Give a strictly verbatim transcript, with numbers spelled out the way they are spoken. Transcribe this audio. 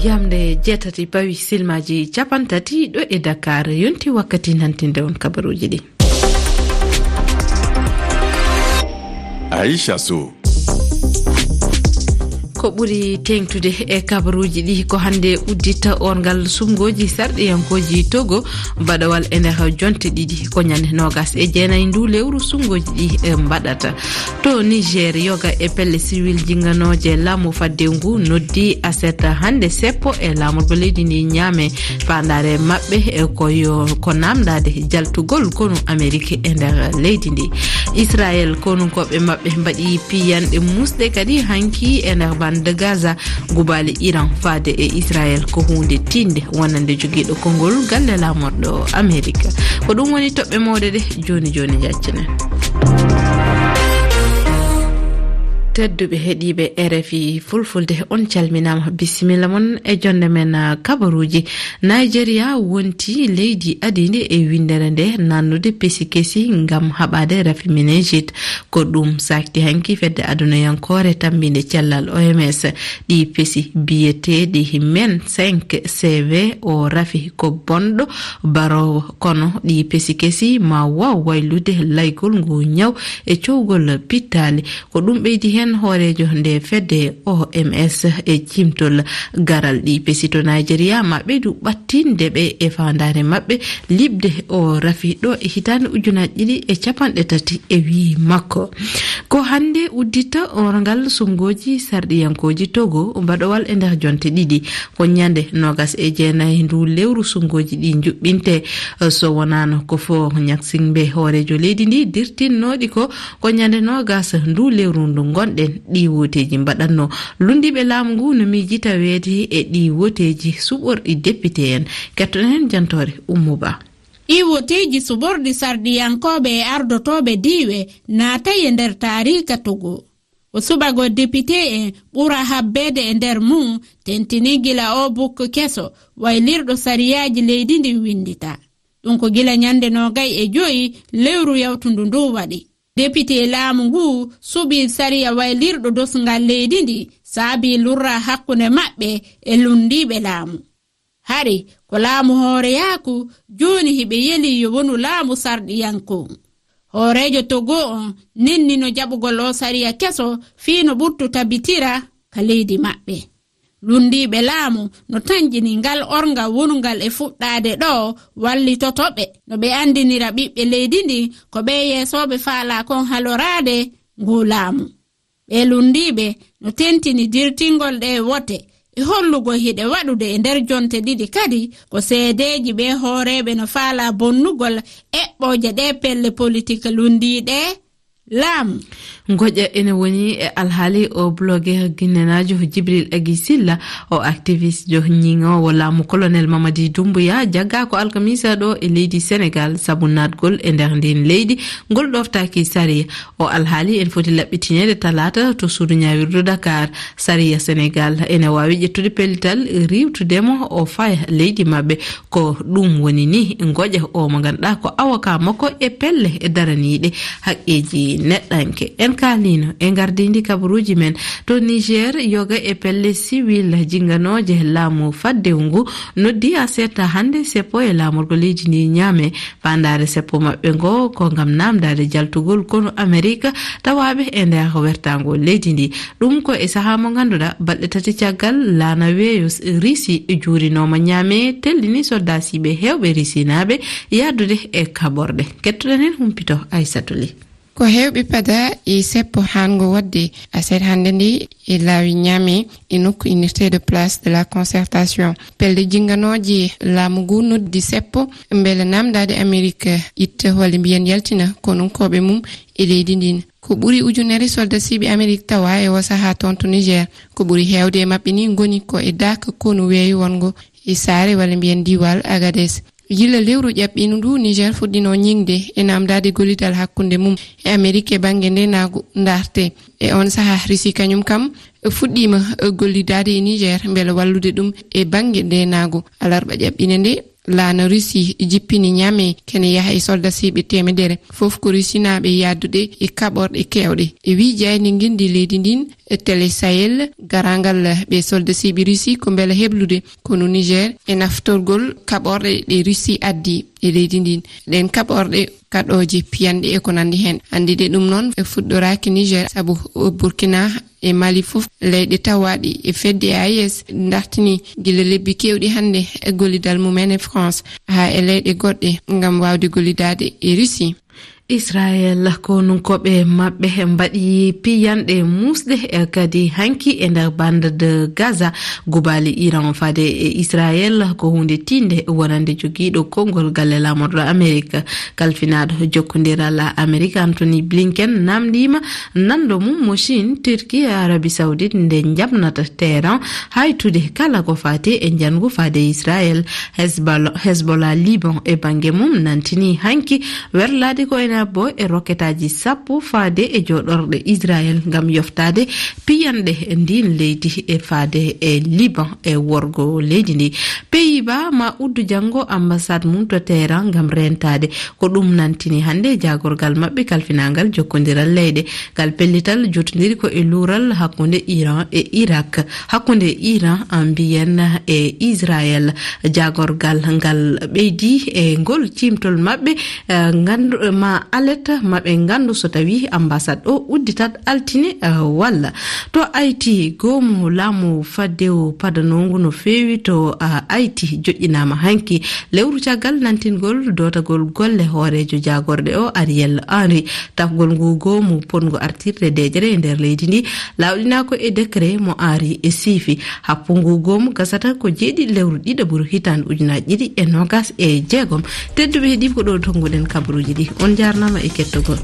Yamde jeetati pawi silmaaji capanɗe tati ɗo e Dakar, yonti wakkati nantinde on kabaruuji ɗi. Aisha Sow. Ko ɓuri teeŋtude e kabaruuji ɗi ko hannde uddita orngal suɓngooji sarɗiyankooji Togo, baɗawal e nder jonte ɗiɗi. Ko ñande noogas e jeenayi ndu lewru suɓngooji ɗi, e, mbaɗata. To Niger, yoga e pelle siwil jinganooje laamu fadde ngu noddi aset hannde seppo e laamorgo leydi ndi Niamey. Faandaare maɓɓe e ko yo, ko namdaade jaltugol konu Amerik e nder leydi ndi. Israel, konunkooɓe maɓɓe mbaɗi piyanɗe musɗe kadi hanki e nder bande Gaza. Gubaali Iran faade e Israel ko huunde tiiɗnde wonande jogiiɗo konngol galle laamorɗo Amerik. Ko ɗum woni toɓɓe mawɗe ɗe jooni jooni njaccinen. Tedduɓe heɗiiɓe R F I Fulfulde, on calminaama, bisimilla mon e jonde men, ah, kabaruuji. Nigeria wonti leydi adiinde e winndere nde nannude pesi kesi ngam haɓaade rafi meningite. Ko ɗum saakti hanki fedde adunayankoore tammbinde cellal O M S. Ɗi pesi biyeteeɗi men cinq C V o rafi ko bonɗo baroowo, kono ɗi pesi kesi ma waaw waylude laygol ngu ñaw e cowgol pittaali. Ko ɗum ɓeydi heen hooreejo nde fedde O M S e cimtol garal ɗi pesi to Nigeria ma ɓeydu ɓattinde ɓe e faandaare maɓɓe liɓde o rafi ɗo e hitaande ujunaaji ɗiɗi e capanɗe tati e wiyi makko. Ko hannde uddita orngal suɓngooji sarɗiyankooji Togo baɗowal e nder jonte ɗiɗi. Ko ñande noogas e jeenayi ndu lewru suɓngooji ɗi njuɓɓinte. So wonaano ko fo ñaksinɓe hooreejo leydi ndi dirtinnooɗi ko, ko ñande noogas ndu lewru ndu ngonɗen ɗi wooteeji mbaɗatno. Lunndiiɓe laamu ngu no miijita weeti e ɗi wooteeji suɓorɗi député en. Kettoɗen heen jantoore Ummu Ba. Ɗi wooteeji suɓorɗi sarɗiyankooɓe e ardotooɓe diiwe naatay e nder taariika Togo. Ko suɓagol député en ɓura habbeede e nder mum, tentini gila o bukko keso waylirɗo sariyaaji leydi ndin winndita. Ɗum ko gila ñande noogay e joyi lewru yawtundu ndu waɗi. Député laamu ngu suɓii sariya waylirɗo dosngal leydi ndi, saabii lurra hakkunde maɓɓe e lunndiiɓe laamu. Hari ko laamu hooreyaaku, jooni hiɓe yeli yo wonu laamu sarɗiyanko. Hooreejo Togo on nennino jaɓugol o sariya keso fii no ɓurtu tabitira ka leydi maɓɓe. Lunndiiɓe laamu no tanƴini ngal orngal wonungal e fuɗɗaade ɗo wallitoto ɓe. No ɓe anndinira ɓiɓɓe leydi ndin ko ɓe yeesooɓe faalaa kon haloraade nguu laamu. Ɓee lunndiiɓe no tentini dirtingol ɗee wote e hollugol hiɗe waɗude e nder jonte ɗiɗi kadi ko seedeeji ɓee hooreeɓe no faalaa bonnugol eɓɓooje ɗee pelle politik lunndiiɗe laamu. Ngoƴa ene woni e alhaali o blogger guinénaajo Jibril Agi Silla, o activiste jo ñiŋoowo laamu Colonel Mamadi Doumbouya, jaggaa ko alkamisa ɗo e leydi Senegal sabu naatgol e nder ndin leydi ngol ɗoftaaki sariya. O alhaali ene foti laɓɓitineede talaata to suudu ñaawirdu Dakar. Sariya Senegal ene waawi ƴettude pellital riiwtude mo o faya leydi maɓɓe. Ko ɗum woni ni ngoƴa o mo ngannduɗaa ko avocat makko e pelle daraniiɗe haqqeeji neɗɗanke. En kaaliino e ngardiindi kabaruuji men to Niger, yoga e pelle siwil jinganooje laamu faddewu ngu noddi aset hannde seppo e laamorgo leydi ndi Niamey. Faandaare seppo maɓɓe ngo ko ngam naamndaade jaltugol konu Amerik tawaaɓe e nder wertaango leydi ndi. Ɗum ko e sahaa mo ngannduɗaa balɗe tati caggal laana weeyo s-, Risi juurinooma Niamey, tellini soldaasiiɓe heewɓe Risinaaɓe yahdude e kaɓorɗe. Kettoɗen heen humpito Aysatu Ly. Ko heewɓe pada e seppo haango waɗde aset hannde nde e laawi Niamey e nokku innirteeɗo Place de la Concertation. Pelle jinganooje laamu ngu noddi seppo mbele naamndaade Amerik itta walla mbiyen yaltina konunkooɓe mum e leydi ndin. Ko ɓuri ujunere soldasiiɓe Amerik tawa e o sahaa toon to Niger. Ko ɓuri heewde e maɓɓe ni ngoni ko e daaka konu weeyo wonngo e Saare walla mbiyen diiwal Agades. Gila lewru ƴaɓɓiindu ndu, Niger fuɗɗino ñiŋde e naamndaade gollidal hakkunde mum e Amerik e bannge ndeenaagu ndaarte. E on sahaa, Risi kañum kam fuɗɗiima gollidaade e Niger mbele wallude ɗum e bannge ndeenaagu. Alarba ƴaɓɓiinde nde, laana Risi jippini Niamey kene yaha e soldasiiɓe teemedere, fof ko Risinaaɓe yahdude e kaɓorɗe keewɗe. E wii jayndi ngenndi leydi ndin, Télé Sahel, garaangal ɓe solde siiɓi Russie ko mbela heblude kono Niger e naftorgol kaɓorɗe ɗe Russie addi e leydi ndin. Ɗen kaɓorɗe kaɗooje piyanɗe e ko nandi heen. Anndide ɗum noon e fuɗɗoraaki Niger, sabu Burkina e Mali fof leyɗe tawaaɗi e fedde A E S dartini gila lebbi keewɗi hannde e gollidal mum en e France haa e leyɗe goɗɗe ngam waawde gollidaade e Russie. Israel, konunkooɓe maɓɓe mbaɗi piyanɗe muusɗe, eh, kadi hanki e nder bande de Gaza. Gubaali Iran faade e Israel ko huunde tiinde wonande jogiiɗo konngol galle laamorɗo Amerik. Kalfinaaɗo jokkondiral Amerik Anthony Blinken namndiima nanndo mum mo Chine, Turquie e Arabie Saoudite nde njaɓnata Teheran haytude kala ko faati e njanngu faade Israel. Hezbollah, Hezbollah Liban e bannge mum nantini hanki werlaade ko ene abbo e roketaaji sappo faade e jooɗorɗe Israel ngam yoftaade piyanɗe ndin leydi e faade e Liban e worgo leydi ndi. Pays-Bas ma uddu janngo ambassade mum to Teheran ngam rentaade. Ko ɗum nantini hannde jaagorgal maɓɓe kalfinangal jokkondiral leyɗe. Ngal pellital jottondiri ko e luural hakkunde Iran e Irak, hakkunde Iran, ah, mbiyen, e Israel. Jaagorgal ngal ɓeydi e ngol ciimtol maɓɓe, eh, nganndu, ma alerte maɓɓe nganndu so tawi ambassade o udditat altine, eh, walla. To Haïti, goomu laamu faddewu padanongu no feewi to, ah, Haïti joƴƴinaama hanki. Lewru caggal nantingol dootagol golle hooreejo jaagorɗe o Ariel Henry. Tafgol ngu goomu potngu artirde deeƴere e nder leydi ndi lawɗinaa ko e décret mo Henry e siifi. Happu ngu goomu gasata ko jeeɗiɗi lewru ɗiɗaɓuru hitaande ujunaaji ɗiɗi e noogas e jeegom. Tedduɓe heɗiiɓe, ko ɗo tonnguɗen kabaruuji ɗi. On njaarnaama e kettogol.